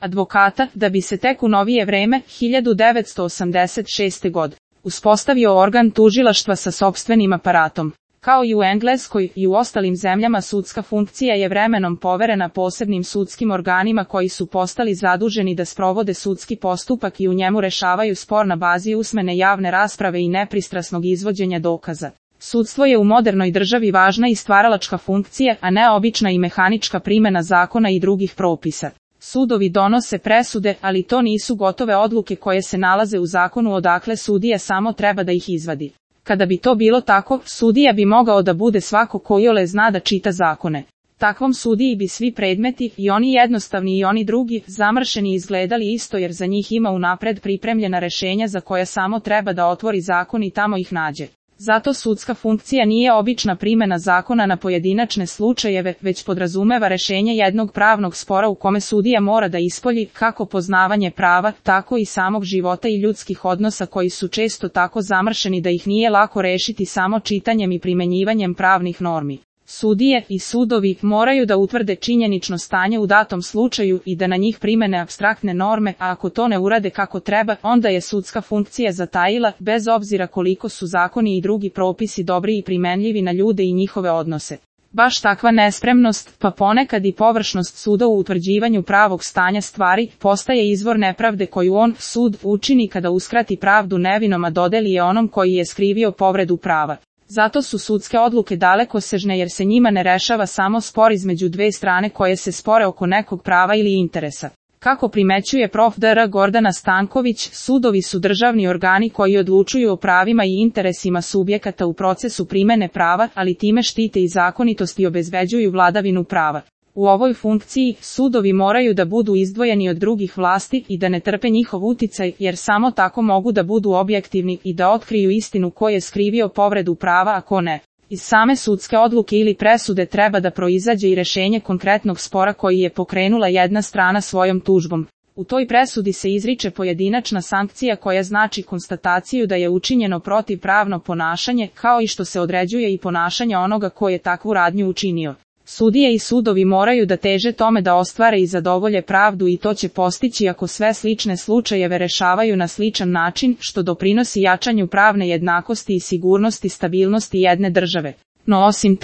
advokata, da bi se tek u novije vreme, 1986. godine, uspostavio organ tužilaštva sa sopstvenim aparatom. Kao i u Engleskoj i u ostalim zemljama sudska funkcija je vremenom poverena posebnim sudskim organima koji su postali zaduženi da sprovode sudski postupak i u njemu rešavaju spor na bazi usmene javne rasprave i nepristrasnog izvođenja dokaza. Sudstvo je u modernoj državi važna i stvaralačka funkcija, a ne obična i mehanička primena zakona i drugih propisa. Sudovi donose presude, ali to nisu gotove odluke koje se nalaze u zakonu odakle sudija samo treba da ih izvadi. Kada bi to bilo tako, sudija bi mogao da bude svako ko iole zna da čita zakone. Takvom sudiji bi svi predmeti, i oni jednostavni i oni drugi, zamršeni izgledali isto jer za njih ima unapred pripremljena rešenja za koja samo treba da otvori zakon i tamo ih nađe. Zato sudska funkcija nije obična primena zakona na pojedinačne slučajeve, već podrazumeva rešenje jednog pravnog spora u kome sudija mora da ispolji kako poznavanje prava, tako i samog života i ljudskih odnosa koji su često tako zamršeni da ih nije lako rešiti samo čitanjem i primenjivanjem pravnih normi. Sudije i sudovi moraju da utvrde činjenično stanje u datom slučaju i da na njih primene apstraktne norme, a ako to ne urade kako treba, onda je sudska funkcija zatajila, bez obzira koliko su zakoni i drugi propisi dobri i primenljivi na ljude i njihove odnose. Baš takva nespremnost, pa ponekad i površnost suda u utvrđivanju pravog stanja stvari, postaje izvor nepravde koju on, sud, učini kada uskrati pravdu nevinom a dodeli je onom koji je skrivio povredu prava. Zato su sudske odluke dalekosežne jer se njima ne rešava samo spor između dve strane koje se spore oko nekog prava ili interesa. Kako primećuje prof. dr. Gordana Stanković, sudovi su državni organi koji odlučuju o pravima i interesima subjekata u procesu primene prava, ali time štite i zakonitost i obezbeđuju vladavinu prava. U ovoj funkciji, sudovi moraju da budu izdvojeni od drugih vlasti i da ne trpe njihov uticaj, jer samo tako mogu da budu objektivni i da otkriju istinu ko je skrivio povredu prava a ko ne. Iz same sudske odluke ili presude treba da proizađe i rešenje konkretnog spora koji je pokrenula jedna strana svojom tužbom. U toj presudi se izriče pojedinačna sankcija koja znači konstataciju da je učinjeno protivpravno ponašanje, kao i što se određuje i ponašanje onoga ko je takvu radnju učinio. Sudije i sudovi moraju da teže tome da ostvare i zadovolje pravdu i to će postići ako sve slične slučajeve rešavaju na sličan način, što doprinosi jačanju pravne jednakosti i sigurnosti stabilnosti jedne države. No osim